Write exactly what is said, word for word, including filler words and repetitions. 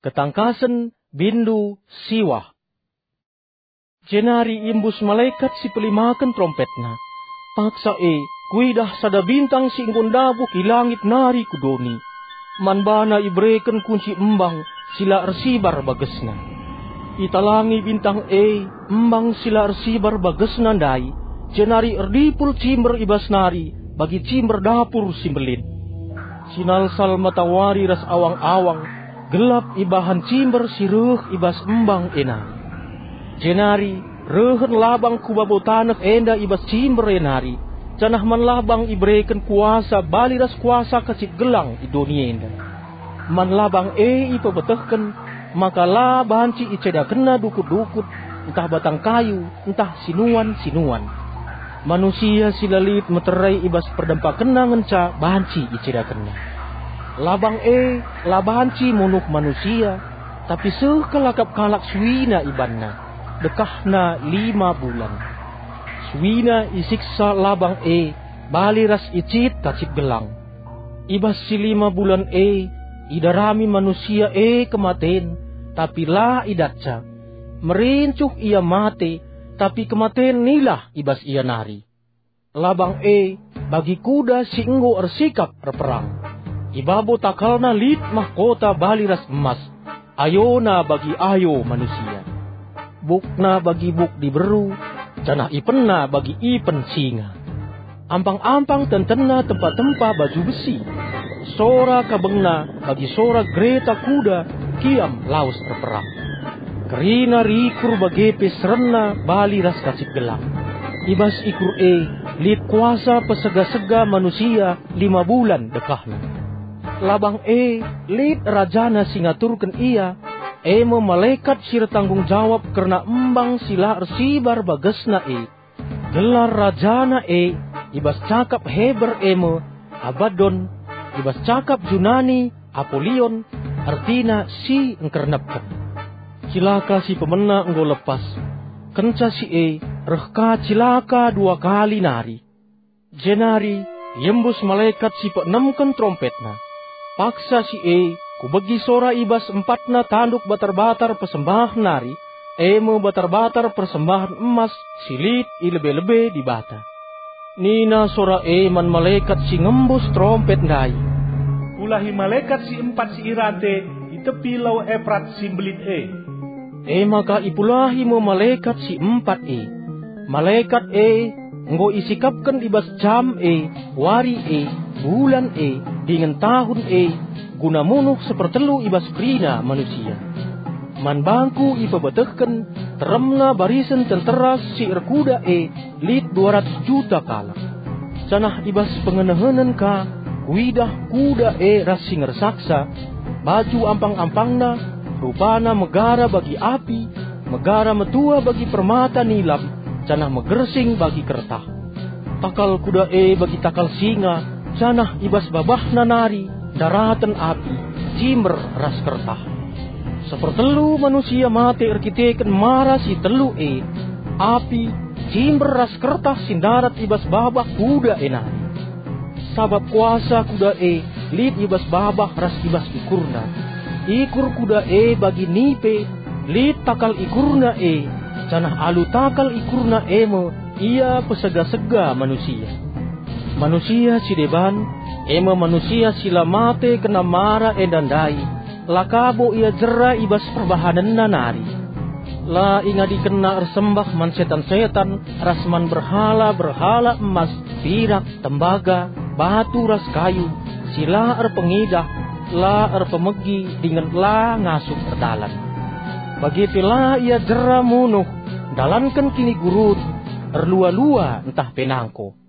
Ketangkasen bindu siwah. Jenari iembus malekat si pelimaken terompetna. Paksa e, kuidah sada bintang si enggo ndabuh i langit nari ku doni. Man bana ibereken kunci embang si la ersibar bagesna. Italangi bintang e embang si la ersibar bagesna ndai, jenari erdipul cimber i bas nari bagi cimber dapur si mbelin. Sinalsal matawari ras awang-awang, gelap ibahan cimber si reh i bas embang e nari. Jenari rehen labang ku babo taneh enda i bas cimber e nari, janah man labang ibereken kuasa bali ras kuasa kacip gelang i doni enda. Man labang e ipebetehken maka la banci icedakenna dukut-dukut, ntah batang kayu, ntah sinuan-sinuan. Manusia si la lit meterai i bas perdempakenna ngenca banci icedakenna. Labang e la banci munuh manusia, tapi seh kal akap kalak suina ibanna, dekahna lima bulan. Suina isiksa labang e bali ras icit kacip gelang. I bas si lima bulan e, idarami manusia e kematen, tapi la idatca. Merincuh ia mate, tapi kematen nilah i bas ia nari. Labang e bagi kuda si enggo ersikap erperang. I babo takalna lit mahkota bali ras emas, ayona bagi ayo manusia. Bukna bagi buk diberu, janah ipenna bagi ipen singa. Ampang-ampang tentenna tempa-tempa baju besi. Sora kabengna bagi sora gereta kuda kiam lawes erperang. Kerina rikur bage pe serenna bali ras kacip gelang. I bas ikur e lit kuasa pesega-sega manusia lima bulan dekahna. Labang e lit rajana si ngaturken ia, e me malekat si ertanggung jawab kerna embang si la ersibar bagesna e. Gelar rajana e i bas cakap Heber e me Abaddon, i bas cakap Junani Apolion, ertina si engkernepken. Cilaka si pemena enggo lepas. Kenca si e reh ka cilaka dua kali nari. Jenari iembus malekat si peenemken terompetna. Paksa si e, kubegi sora i bas empatna tanduk batar-batar persembahen nari, e me batar-batar persembahen emas si lit i lebe-lebe Dibata. Nina sora e man malekat si ngembus terompet ndai, "Pulahi malekat si empat si i rante i tepi Lau Eprat si mbelin e." E maka ipulahi me malekat si empat e. Malekat e enggo isikapken i bas jam e, wari e, bulan e, dingen tahun e, guna munuh sepertelu i bas kerina manusia. Man bangku ipebetehken teremna barisen tentera si erkuda e lit dua ratus juta kalak. Janah i bas pengenehenen ka kuidah kuda e ras si ngersaksa, baju ampang-ampangna, rupana megara bagi api, megara metua bagi permata nilam, janah megersing bagi kertah. Takal kuda e bagi takal singa, janah i bas babahna nari ndaraten api, cimber ras kertah. Sepertelu manusia mate erkiteken mara si telu e, api, cimber ras kertah si ndarat i bas babah kuda e nari. Sabap kuasa kuda e lit i bas babah ras i bas ikurna. Ikur kuda e bagi nipe, lit takal ikurna e, janah alu takal ikurna e me ia pesega-sega manusia. Manusia si deban, e me manusia si la mate kena mara enda ndai, la ka bo ia jera i bas perbahanenna nari. La ingadikenna ersembah man setan-setan ras man berhala-berhala emas, pirak, tembaga, batu ras kayu, si la erpengidah, la erpemegi dingen la ngasup erdalan. Bage pe la ia jera munuh, ndalanken kinigurun, erlua-lua ntah pe nangko.